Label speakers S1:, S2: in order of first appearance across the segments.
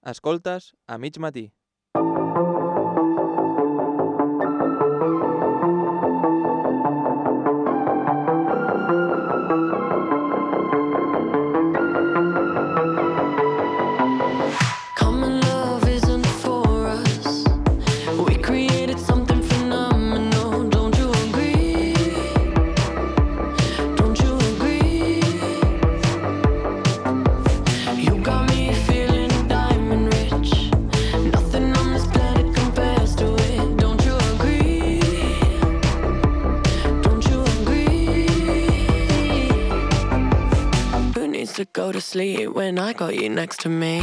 S1: Escoltes a mig matí.
S2: To go to sleep when I got you next to me.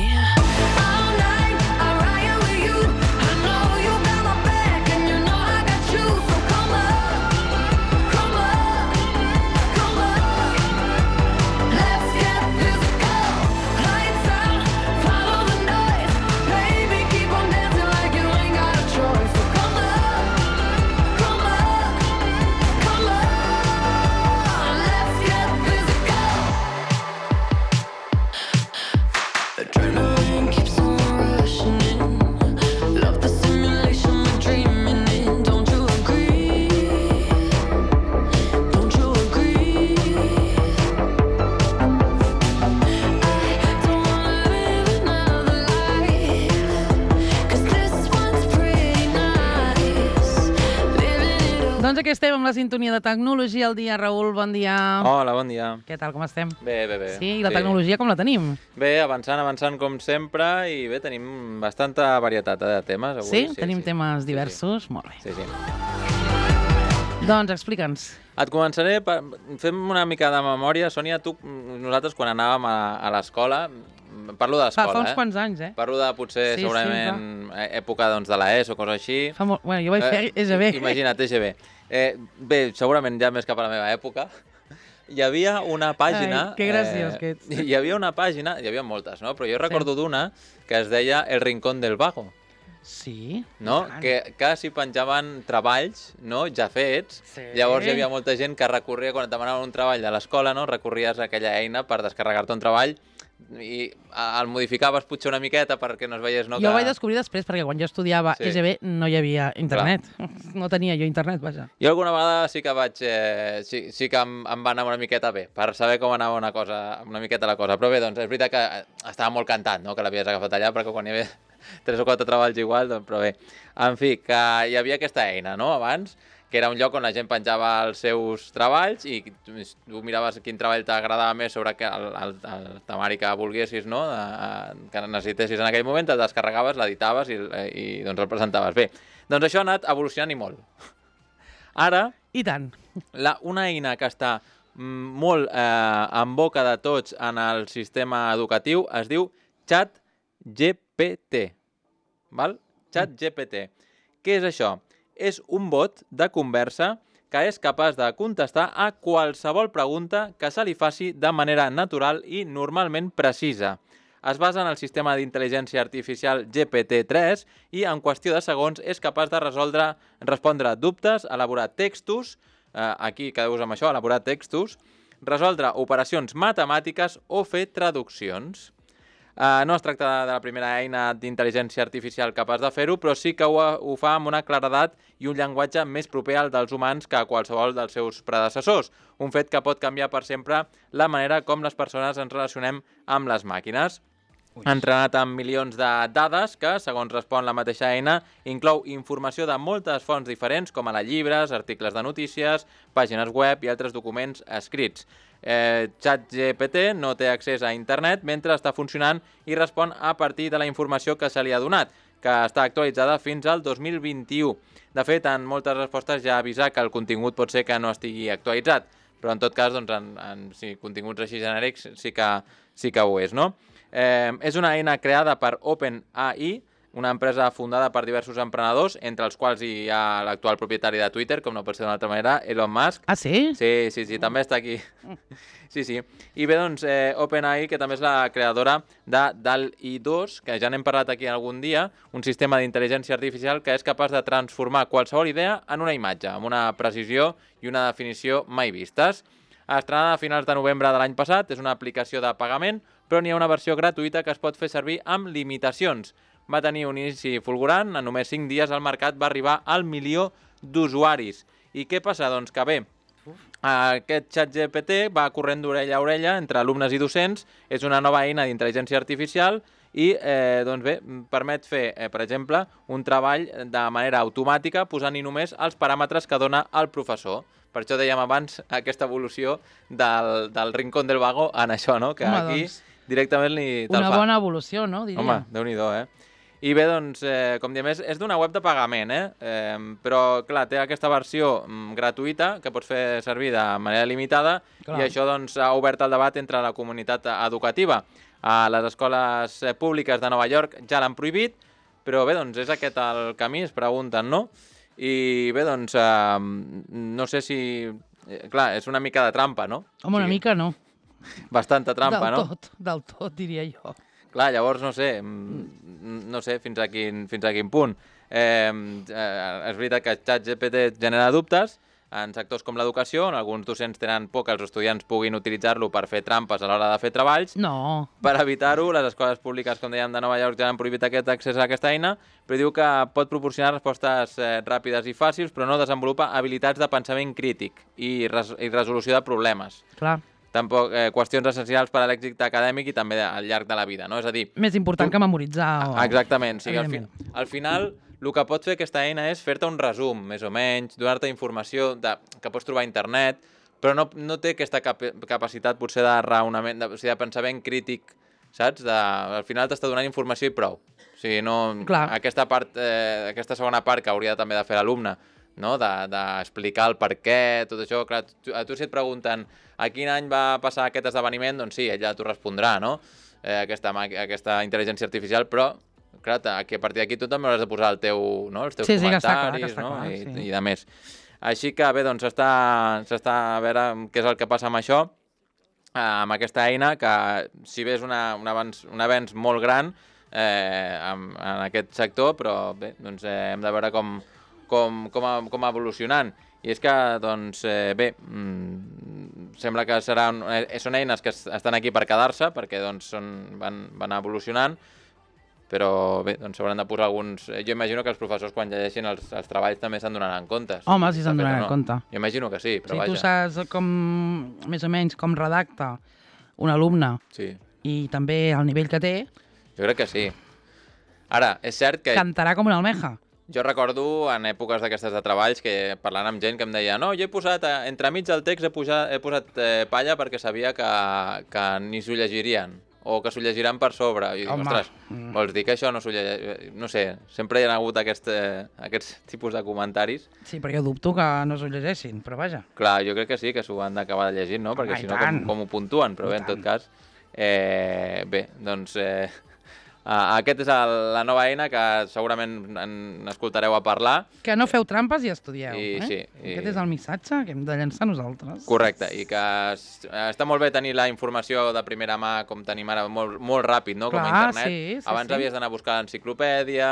S3: Doncs aquí estem amb la sintonia de Tecnologia al dia. Raül, bon dia.
S1: Hola, bon dia.
S3: Què tal, com estem?
S1: Bé.
S3: Sí, i la tecnologia com la tenim?
S1: Bé, avançant com sempre, i bé, tenim bastanta varietat de temes avui.
S3: Sí? Tenim temes diversos?
S1: Sí.
S3: Molt bé.
S1: Sí.
S3: Doncs explica'ns.
S1: Et començaré, fem una mica de memòria. Sònia, nosaltres quan anàvem a l'escola, parlo de l'escola,
S3: Fa uns quants anys,
S1: Parlo de potser, segurament, època de l'ESO o cosa així.
S3: Bueno, jo vaig fer EGB.
S1: Imagina't, EGB. Bé, segurament ja més cap a la meva època. Hi havia una pàgina...
S3: Ai, que graciós que ets.
S1: Hi havia una pàgina, hi havia moltes, no? Però jo recordo d'una que es deia El Rincón del Vago.
S3: Sí?
S1: No? Que s'hi penjaven treballs, no? Ja fets.
S3: Sí.
S1: Llavors hi havia molta gent que recorria, quan et demanaven un treball de l'escola, no? Recorries a aquella eina per descarregar-te un treball i el modificaves potser una miqueta perquè no es veiés... No,
S3: jo ho vaig descobrir després, perquè quan jo estudiava EGB no hi havia internet.
S1: Clar.
S3: No tenia jo internet, vaja.
S1: Jo alguna vegada sí que vaig... sí que em va anar una miqueta bé, per saber com anava una miqueta la cosa. Però bé, doncs és veritat que estava molt cantat, no?, que l'havies agafat allà, perquè quan hi havia 3 o 4 treballs igual, doncs, però bé. En fi, que hi havia aquesta eina, no?, abans, que era un lloc on la gent penjava els seus treballs i tu miraves quin treball t'agradava més sobre el temari que volguessis, no?, que necessitessis en aquell moment, te'l descarregaves, l'editaves i doncs el presentaves. Bé, doncs això ha anat evolucionant i molt. Ara,
S3: I tant.
S1: Una eina que està molt en boca de tots en el sistema educatiu es diu ChatGPT. Val? ChatGPT. Què és això? És un bot de conversa que és capaç de contestar a qualsevol pregunta que se li faci de manera natural i normalment precisa. Es basa en el sistema d'intel·ligència artificial GPT-3 i en qüestió de segons és capaç de respondre dubtes, elaborar textos, aquí quedeu-vos amb això, elaborar textos, resoldre operacions matemàtiques o fer traduccions. No es tracta de la primera eina d'intel·ligència artificial capaç de fer-ho, però sí que ho fa amb una claredat i un llenguatge més proper al dels humans que a qualsevol dels seus predecessors, un fet que pot canviar per sempre la manera com les persones ens relacionem amb les màquines. Entrenat amb milions de dades que, segons respon la mateixa eina, inclou informació de moltes fonts diferents, com ara llibres, articles de notícies, pàgines web i altres documents escrits. ChatGPT no té accés a internet mentre està funcionant i respon a partir de la informació que se li ha donat, que està actualitzada fins al 2021. De fet, en moltes respostes ja avisa que el contingut pot ser que no estigui actualitzat, però en tot cas, doncs, en continguts així genèrics sí que ho és, no? És una eina creada per OpenAI, una empresa fundada per diversos emprenedors, entre els quals hi ha l'actual propietari de Twitter, com no pot ser d'una altra manera, Elon Musk.
S3: Ah, sí?
S1: Sí, també està aquí. Sí. I bé, doncs, OpenAI, que també és la creadora de DALL-E 2, que ja n'hem parlat aquí algun dia, un sistema d'intel·ligència artificial que és capaç de transformar qualsevol idea en una imatge, amb una precisió i una definició mai vistes. Estrenada a finals de novembre de l'any passat, és una aplicació de pagament però n'hi ha una versió gratuïta que es pot fer servir amb limitacions. Va tenir un inici fulgurant, en només 5 dies al mercat va arribar al 1.000.000 d'usuaris. I què passa? Doncs que bé, aquest ChatGPT va corrent d'orella a orella entre alumnes i docents, és una nova eina d'intel·ligència artificial i doncs bé, permet fer, per exemple, un treball de manera automàtica posant-hi només els paràmetres que dona el professor. Per això dèiem abans aquesta evolució del Rincón del Vago en això, no? Que
S3: home,
S1: aquí
S3: doncs,
S1: directament li te'l fa.
S3: una bona evolució, no? Diria.
S1: Home, Déu-n'hi-do, I bé, doncs, com diem, és d'una web de pagament, però, clar, té aquesta versió gratuïta que pots fer servir de manera limitada
S3: Clar.
S1: i això doncs, ha obert el debat entre la comunitat educativa. A les escoles públiques de Nova York ja l'han prohibit, però bé, doncs, és aquest el camí, es pregunten, no? I bé, doncs, no sé si... clar, és una mica de trampa, no?
S3: Home, una mica no.
S1: Bastanta trampa, no?
S3: Del tot, diria jo.
S1: Clar, llavors, no sé fins a quin punt. És veritat que ChatGPT genera dubtes en sectors com l'educació, on alguns docents tenen por que els estudiants puguin utilitzar-lo per fer trampes a l'hora de fer treballs.
S3: No.
S1: Per evitar-ho, les escoles públiques, com dèiem, de Nova York ja han prohibit aquest accés a aquesta eina, però diu que pot proporcionar respostes ràpides i fàcils, però no desenvolupa habilitats de pensament crític i resolució de problemes.
S3: Clar.
S1: Tampoc qüestions essencials per a l'èxit acadèmic i també al llarg de la vida, no? És a dir...
S3: Més important que memoritzar.
S1: Exactament. O sigui,
S3: Evidentment.
S1: al final, el que pot fer aquesta eina és fer-te un resum, més o menys, donar-te informació que pots trobar a internet, però no té aquesta capacitat potser de raonament, o sigui, de pensament crític, saps? Al final t'està donant informació i prou. O sigui, no...
S3: Clar.
S1: Aquesta segona part que hauria també de fer l'alumne, no? D'explicar el per què, tot això, clar, a tu si et pregunten a quin any va passar aquest esdeveniment, doncs sí, ella t'ho respondrà, no? Aquesta intel·ligència artificial, però, clar, que a partir d'aquí tu també hauràs de posar els teus comentaris,
S3: que està clar,
S1: i de més. Així que, bé, doncs s'està a veure què és el que passa amb això, amb aquesta eina, que si bé és un avenç molt gran en aquest sector, però bé, doncs hem de veure com va evolucionant. I és que, doncs, bé, sembla que són eines que estan aquí per quedar-se, perquè doncs, van evolucionant, però bé, doncs s'hauran de posar alguns... Jo imagino que els professors, quan llegeixin els treballs, també se'n donaran compte.
S3: Home, si se'n donaran compte.
S1: Jo imagino que sí, però
S3: vaja.
S1: vaja.
S3: Si tu saps més o menys com redacta un alumne i també el nivell que té...
S1: Jo crec que sí. Ara, és cert que...
S3: Cantarà com una almeja.
S1: Jo recordo en èpoques d'aquestes de treballs que parlant amb gent que em deia no, jo he posat, entremig del text he posat palla perquè sabia que ni s'ho llegirien o que s'ho llegiran per sobre. I dic, ostres, vols dir que això no s'ho llegeix? No sé, sempre hi ha hagut aquests tipus de comentaris.
S3: Sí, però jo dubto que no s'ho llegeixin, però vaja.
S1: Clar, jo crec que sí, que s'ho han d'acabar de llegir, no? Perquè si no, com ho puntuen? Però bé, en tot cas, bé, doncs... Aquest és la nova eina que segurament n'escoltareu a parlar.
S3: Que no feu trampes i estudieu.
S1: Sí,
S3: Aquest és el missatge que hem de llançar nosaltres.
S1: Correcte, i que està molt bé tenir la informació de primera mà com tenim ara, molt ràpid, no?
S3: Clar,
S1: com a internet.
S3: sí,
S1: abans havies d'anar a buscar l'enciclopèdia.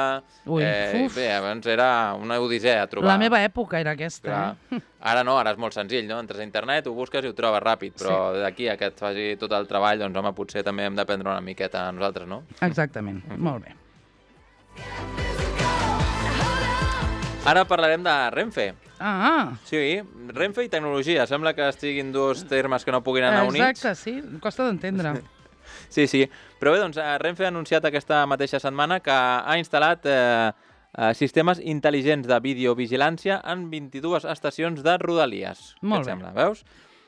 S1: Bé, abans era una odissea trobar.
S3: La meva època era aquesta.
S1: Clar. Ara no, ara és molt senzill, no? Entres a internet, ho busques i ho trobes ràpid, però d'aquí a que et faci tot el treball, doncs home, potser també hem d'aprendre una miqueta a nosaltres, no?
S3: Exactament, molt bé.
S1: Ara parlarem de Renfe.
S3: Sí,
S1: Renfe i tecnologia. Sembla que estiguin dos termes que no puguin anar units.
S3: Exacte, sí, costa d'entendre.
S1: Sí, però bé, doncs Renfe ha anunciat aquesta mateixa setmana que ha instal·lat sistemes intel·ligents de videovigilància en 22 estacions de Rodalies.
S3: Molt bé.
S1: Què et sembla? Veus?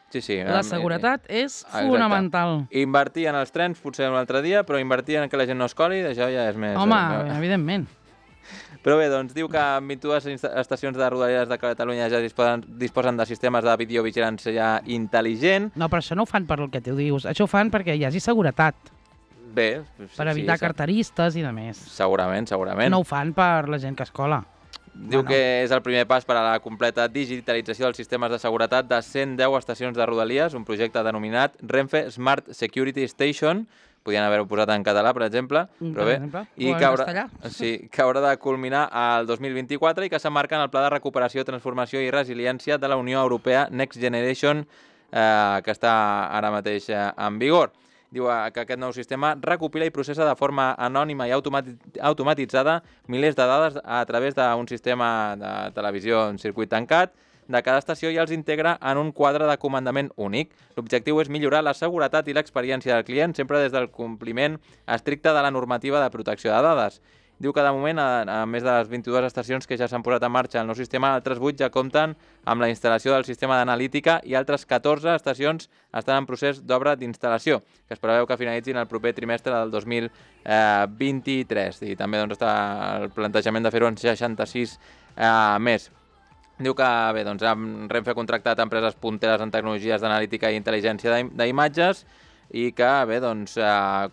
S1: Sí.
S3: La seguretat és fonamental.
S1: Invertir en els trens potser un altre dia, però invertir en que la gent no es coli, això ja és més...
S3: Home, evidentment.
S1: Però bé, doncs diu que en 22 estacions de Rodalies de Catalunya ja disposen de sistemes de videovigilància intel·ligent.
S3: No, però això no ho fan per el que tu dius. Això ho fan perquè hi hagi seguretat.
S1: Bé,
S3: per evitar carteristes i de més.
S1: Segurament.
S3: No ho fan per la gent que es cola.
S1: Diu que és el primer pas per a la completa digitalització dels sistemes de seguretat de 110 estacions de Rodalies, un projecte denominat Renfe Smart Security Station. Podien haver-ho posat en català, per exemple, però bé, i que haurà de culminar el 2024 i que s'emmarca en el Pla de Recuperació, Transformació i Resiliència de la Unió Europea Next Generation, que està ara mateix en vigor. diu que aquest nou sistema recopila i processa de forma anònima i automatitzada milers de dades a través d'un sistema de televisió en circuit tancat de cada estació i els integra en un quadre de comandament únic. L'objectiu és millorar la seguretat i l'experiència del client, sempre des del compliment estricte de la normativa de protecció de dades. Diu que de moment, a més de les 22 estacions que ja s'han posat en marxa el nou sistema, altres 8 ja compten amb la instal·lació del sistema d'analítica i altres 14 estacions estan en procés d'obra d'instal·lació, que es preveu que finalitzin el proper trimestre del 2023. I també està el plantejament de fer-ho en 66 més. Diu que bé, Renfe ha contractat empreses punteres en tecnologies d'analítica i intel·ligència d'imatges i que bé,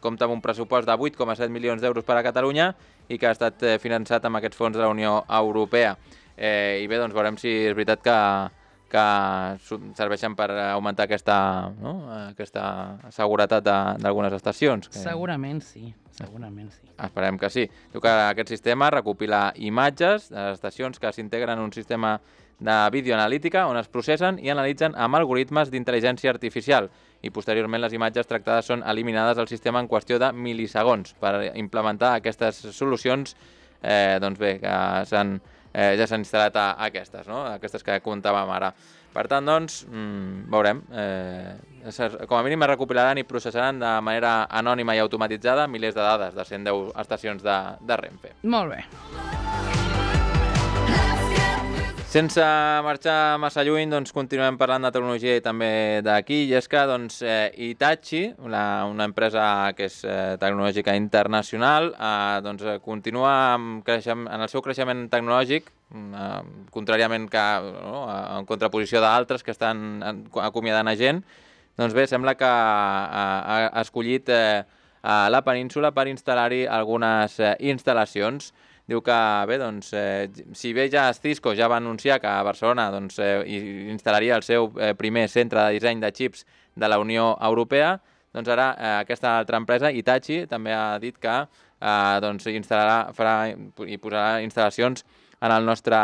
S1: compta amb un pressupost de 8,7 milions d'euros per a Catalunya i que ha estat finançat amb aquests fons de la Unió Europea. I bé, veurem si és veritat que serveixen per augmentar aquesta seguretat d'algunes estacions.
S3: Segurament sí.
S1: Esperem que sí. Diu que aquest sistema recopila imatges de les estacions que s'integren en un sistema de videoanalítica on es processen i analitzen amb algoritmes d'intel·ligència artificial i posteriorment les imatges tractades són eliminades del sistema en qüestió de milisegons per implementar aquestes solucions que ja s'han instal·lat a aquestes, no? Aquestes que comentàvem ara. Per tant, veurem. Com a mínim es recopilaran i processaran de manera anònima i automatitzada milers de dades de 110 estacions de Renfe.
S3: Molt bé.
S1: Sense marxar massa lluny, continuem parlant de tecnologia i també d'aquí, i és que Hitachi, una empresa que és tecnològica internacional, continua en el seu creixement tecnològic, contràriament en contraposició d'altres que estan acomiadant a gent. Doncs bé, sembla que ha escollit la península per instal·lar-hi algunes instal·lacions. Diu que, bé, si bé ja Cisco ja va anunciar que a Barcelona instal·laria el seu primer centre de disseny de xips de la Unió Europea, doncs ara aquesta altra empresa, Hitachi, també ha dit que farà i posarà instal·lacions en el nostre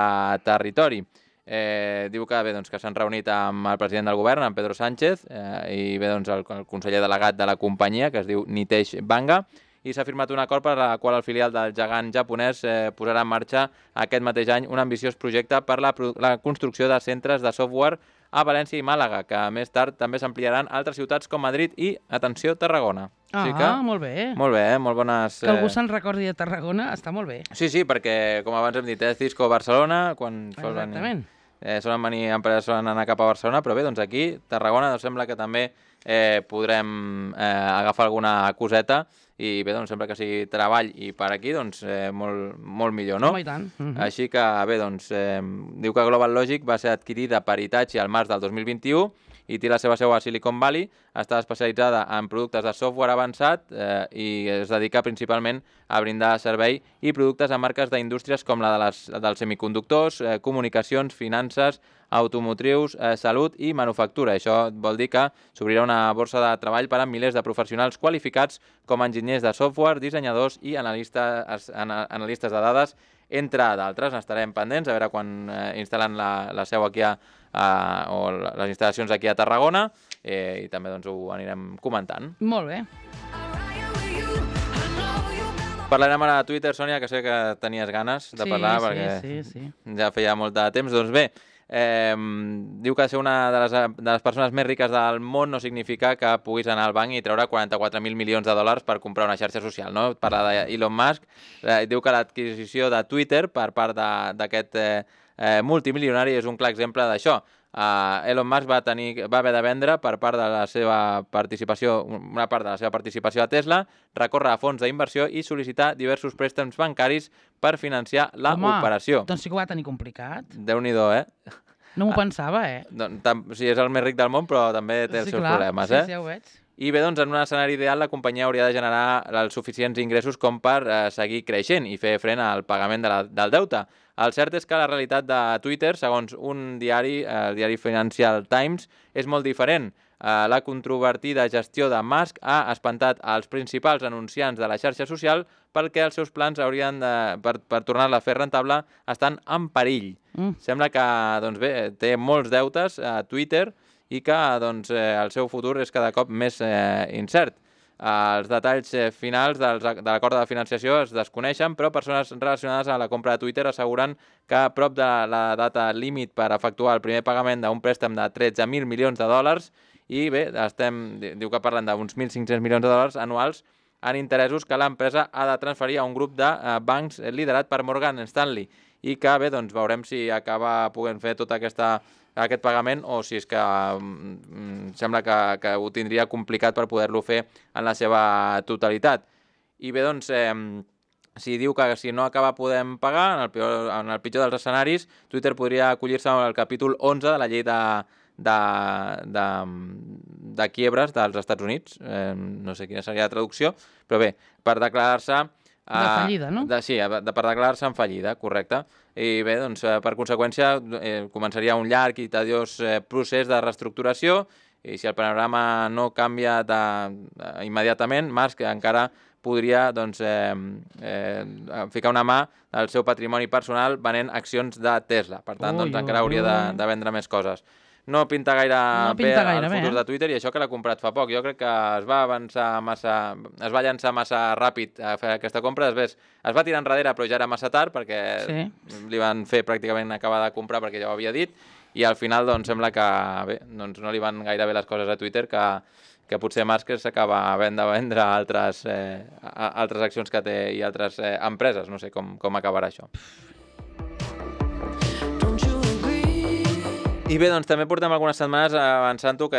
S1: territori. Diu que, bé, que s'han reunit amb el president del govern, amb Pedro Sánchez, i bé, el conseller delegat de la companyia, que es diu Nitesh Banga, i s'ha firmat un acord per al qual el filial del gegant japonès posarà en marxa aquest mateix any un ambiciós projecte per la construcció de centres de software a València i Màlaga, que més tard també s'ampliaran a altres ciutats com Madrid i, atenció, Tarragona.
S3: Molt bé.
S1: Molt bé, molt bones...
S3: Que algú se'n recordi de Tarragona està molt bé.
S1: Sí, perquè, com abans hem dit, Cisco Barcelona, quan solen venir empreses, solen anar cap a Barcelona, però bé, aquí, Tarragona, sembla que també podrem agafar alguna coseta i bé, sembla que sigui treball i per aquí, molt millor, no?
S3: I tant.
S1: Així que, bé, diu que Global Logic va ser adquirida per Hitachi al març del 2021 i té la seva seu a Silicon Valley, està especialitzada en productes de software avançat i es dedica principalment a brindar servei i productes a marques d'indústries com la dels semiconductors, comunicacions, finances, automotrius, salut i manufactura. Això vol dir que s'obrirà una borsa de treball per a milers de professionals qualificats com enginyers de software, dissenyadors i analistes de dades, entre d'altres. Estarem pendents a veure quan instal·len la seu aquí o les instal·lacions aquí a Tarragona i també ho anirem comentant.
S3: Molt bé.
S1: Parlarem ara de Twitter, Sònia, que sé que tenies ganes de parlar perquè ja feia molt de temps. Doncs bé, diu que ser una de les persones més riques del món no significa que puguis anar al banc i treure 44.000 milions de dòlars per comprar una xarxa social, no? Parla d'Elon Musk. Diu que l'adquisició de Twitter per part d'aquest multimilionari és un clar exemple d'això. Elon Musk va haver de vendre per part de la seva participació, una part de la seva participació a Tesla, recórrer a fons d'inversió i sol·licitar diversos préstecs bancaris per financiar l'operació.
S3: Doncs sí que ho va tenir complicat.
S1: Déu-n'hi-do,
S3: No m'ho pensava,
S1: Sí, és el més ric del món, però també té els seus problemes,
S3: Sí, ja ho veig.
S1: I bé, en un escenari ideal, la companyia hauria de generar els suficients ingressos com per seguir creixent i fer front al pagament del deute. El cert és que la realitat de Twitter, segons un diari, el diari Financial Times, és molt diferent. La controvertida gestió de Musk ha espantat els principals anunciants de la xarxa social perquè els seus plans per tornar-la a fer rentable estan en perill. Sembla que té molts deutes a Twitter i que el seu futur és cada cop més incert. Els detalls finals de l'acord de financiació es desconeixen, però persones relacionades a la compra de Twitter asseguren que a prop de la data límit per efectuar el primer pagament d'un préstec de 13.000 milions de dòlars i bé, diu que parlen d'uns 1.500 milions de dòlars anuals en interessos que l'empresa ha de transferir a un grup de bancs liderat per Morgan Stanley i que bé, doncs veurem si acaba podent fer tot aquest pagament o si és que sembla que ho tindria complicat per poder-lo fer en la seva totalitat. I bé, doncs, si diu que si no acaba podent pagar, en el pitjor dels escenaris, Twitter podria acollir-se al capítol 11 de la llei de quiebres dels Estats Units. No sé quina seria la traducció, però bé, per declarar-se...
S3: De fallida, no?
S1: Sí, per declarar-se en fallida, correcte. I bé, doncs, per conseqüència, començaria un llarg i tediós procés de reestructuració i si el panorama no canvia immediatament, Musk encara podria doncs, ficar una mà al seu patrimoni personal venent accions de Tesla. Per tant, doncs, encara hauria de vendre més coses. No pinta gaire bé el futur de Twitter i això que l'ha comprat fa poc. Jo crec que es va llançar massa ràpid a fer aquesta compra, després es va tirar enrere però ja era massa tard perquè li van fer pràcticament acabar de comprar perquè ja ho havia dit i al final doncs, sembla que bé, doncs, no li van gaire bé les coses a Twitter que potser Musk s'acaba havent de vendre altres accions que té i altres empreses. No sé com acabarà això. I bé, doncs també portem algunes setmanes avançant-ho,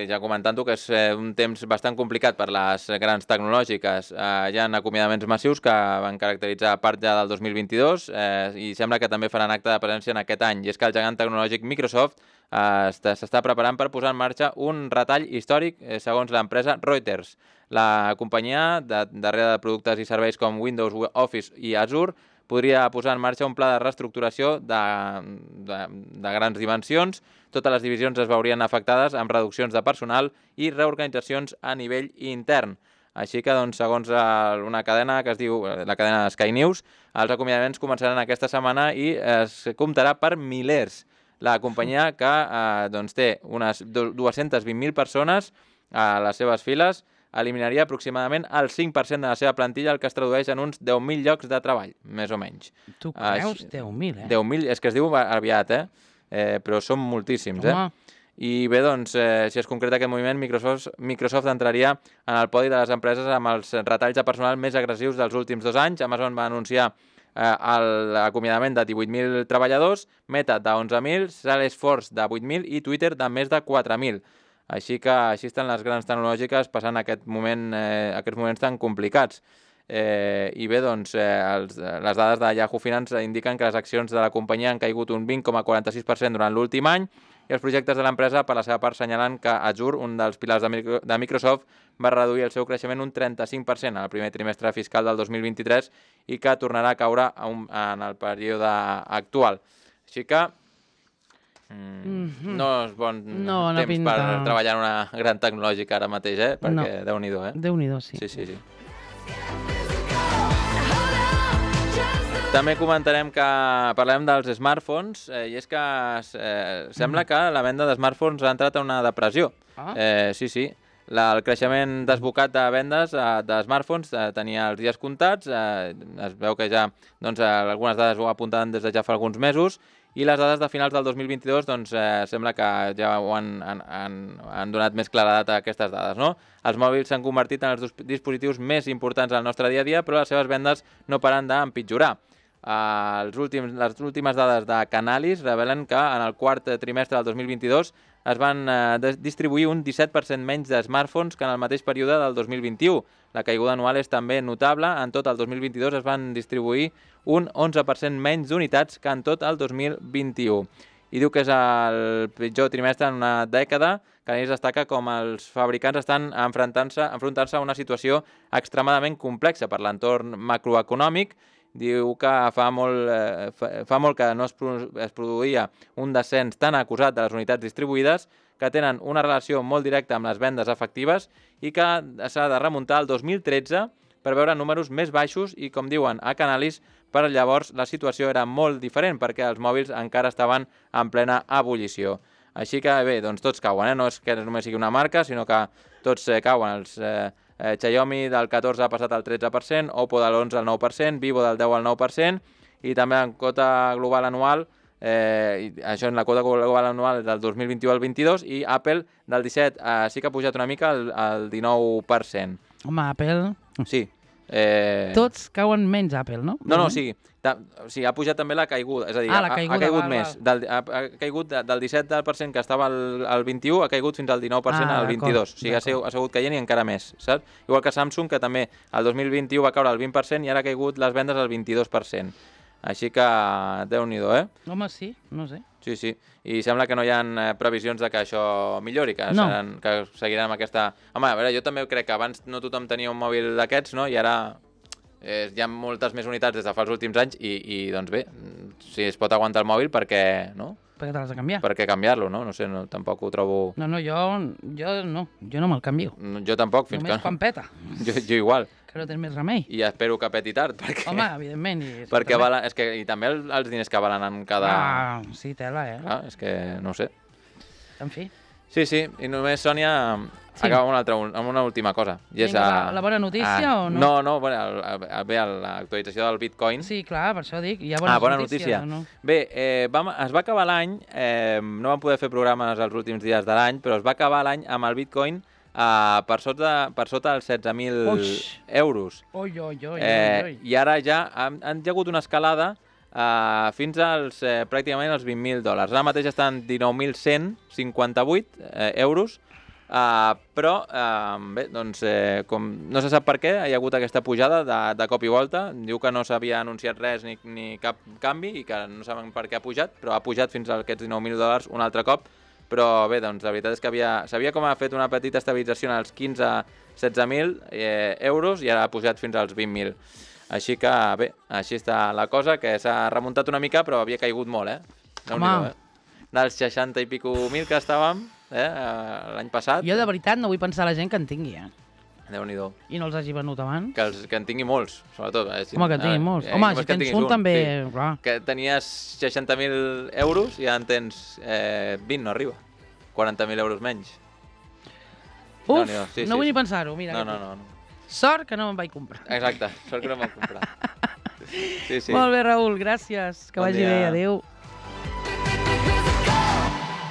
S1: ja comentant-ho, que és un temps bastant complicat per les grans tecnològiques. Hi ha acomiadaments massius que van caracteritzar part ja del 2022 i sembla que també faran acte de presència en aquest any. I és que el gegant tecnològic Microsoft s'està preparant per posar en marxa un retall històric segons l'empresa Reuters. La companyia, darrere de productes i serveis com Windows, Office i Azure, podria posar en marxa un pla de reestructuració de grans dimensions. Totes les divisions es veurien afectades amb reduccions de personal i reorganitzacions a nivell intern. Així que, doncs, segons una cadena que es diu la cadena Sky News, els acomiadaments començaran aquesta setmana i es comptarà per milers. La companyia que té unes 220.000 persones a les seves files eliminaria aproximadament el 5% de la seva plantilla, el que es tradueix en uns 10.000 llocs de treball, més o menys.
S3: Tu creus? 10.000,
S1: 10.000, és que es diu aviat, però són moltíssims, I bé, doncs, si es concreta aquest moviment, Microsoft entraria en el podi de les empreses amb els retalls de personal més agressius dels últims 2 anys. Amazon va anunciar l'acomiadament de 18.000 treballadors, Meta de 11.000, Salesforce de 8.000 i Twitter de més de 4.000. Així que així estan les grans tecnològiques passant aquests moments tan complicats. I bé, doncs, les dades de Yahoo Finance indiquen que les accions de la companyia han caigut un 20,46% durant l'últim any i els projectes de l'empresa, per la seva part, senyalen que Azure, un dels pilars de Microsoft, va reduir el seu creixement un 35% en el primer trimestre fiscal del 2023 i que tornarà a caure en el període actual. Així que no és bon temps per treballar en una gran tecnològica ara mateix, perquè Déu-n'hi-do,
S3: Déu-n'hi-do, sí.
S1: Sí. També comentarem que parlem dels smartphones i és que sembla que la venda de smartphones ha entrat en una depressió. Sí. El creixement desbocat de vendes de smartphones tenia els dies comptats, es veu que ja algunes dades ho apuntaven des de ja fa alguns mesos i les dades de finals del 2022 sembla que ja han donat més claredat a aquestes dades, no? Els mòbils s'han convertit en els dispositius més importants del nostre dia a dia, però les seves vendes no paren d'empitjorar. Les últimes dades de Canalys revelen que en el quart trimestre del 2022 es van distribuir un 17% menys de smartphones que en el mateix període del 2021. La caiguda anual és també notable. En tot el 2022 es van distribuir un 11% menys d'unitats que en tot el 2021. I diu que és el pitjor trimestre en una dècada. Canalys destaca com els fabricants estan enfrontant-se a una situació extremadament complexa per l'entorn macroeconòmic. Diu que fa molt que no es produïa un descens tan acusat de les unitats distribuïdes, que tenen una relació molt directa amb les vendes efectives i que s'ha de remuntar al 2013 per veure números més baixos i, com diuen a Canalys, per llavors la situació era molt diferent perquè els mòbils encara estaven en plena ebullició. Així que bé, doncs tots cauen, no és que només sigui una marca, sinó que tots cauen. Xiaomi del 14 ha passat al 13%, Oppo de l'11 al 9%, Vivo del 10 al 9%, i també en quota global anual, això en la quota global anual del 2021 al 22, i Apple del 17 sí que ha pujat una mica al 19%.
S3: Home, Apple...
S1: Sí.
S3: Tots cauen menys Apple, no?
S1: No, sí, ha pujat també la caiguda, és a dir, ha caigut més. Ha caigut del 17% que estava al 21, ha caigut fins al 19% al 22. O sigui, ha sigut caient i encara més, saps? Igual que Samsung, que també el 2021 va caure al 20% i ara ha caigut les vendes al 22%. Així que, Déu-n'hi-do,
S3: Home, sí, no sé.
S1: Sí, i sembla que no hi ha previsions de que això millori, que seguiran amb aquesta... Home, a veure, jo també crec que abans no tothom tenia un mòbil d'aquests, no? I ara hi ha moltes més unitats des de fa els últims anys i doncs bé, si es pot aguantar el mòbil, per què, no?
S3: Per què te l'has de canviar?
S1: Per què canviar-lo, no? No sé, tampoc ho trobo...
S3: No, jo no me'l canvio.
S1: Jo tampoc, fins
S3: només quan peta.
S1: Jo igual.
S3: Que no tens més remei.
S1: I espero que peti tard, perquè...
S3: Home, evidentment.
S1: Perquè i també els diners que valen en cada...
S3: Sí, tela,
S1: Clar, és que no ho sé.
S3: En fi.
S1: Sí, i només, Sònia, acaba amb una última cosa.
S3: Vinga, la bona notícia o no?
S1: No, bé, l'actualització del Bitcoin.
S3: Sí, clar, per això dic, hi ha
S1: bona notícia. No? Bé, es va acabar l'any, no vam poder fer programes els últims dies de l'any, però es va acabar l'any amb el Bitcoin per sota dels 16.000 euros. I ara ja han hagut una escalada fins als pràcticament els 20.000 dòlars. Ara mateix estan 19.158 euros, però bé, doncs, com no se sap per què, hi ha hagut aquesta pujada de cop i volta. Diu que no s'havia anunciat res ni cap canvi i que no saben per què ha pujat, però ha pujat fins a aquests 19.000 dòlars un altre cop. Però bé, doncs la veritat és que s'havia com fet una petita estabilització en els 15-16.000 euros i ara ha pujat fins als 20.000. Així que bé, així està la cosa, que s'ha remuntat una mica, però havia caigut molt,
S3: Home!
S1: Dels 60 i pico mil que estàvem l'any passat.
S3: Jo de veritat no vull pensar la gent que en tingui,
S1: Déu-n'hi-do.
S3: I no els hagi venut abans.
S1: Que en tingui molts, sobretot.
S3: Home, que en tingui molts. Home, si tens un també...
S1: Sí. Que tenies 60.000 euros i ja en tens 20, no arriba. 40.000 euros menys.
S3: Uf, no vull ni pensar-ho, mira.
S1: No.
S3: Sort que no me'n vaig comprar.
S1: Exacte, sort que no me'n vaig comprar. Sí.
S3: Molt bé, Raül, gràcies. Que vagi bé, adéu.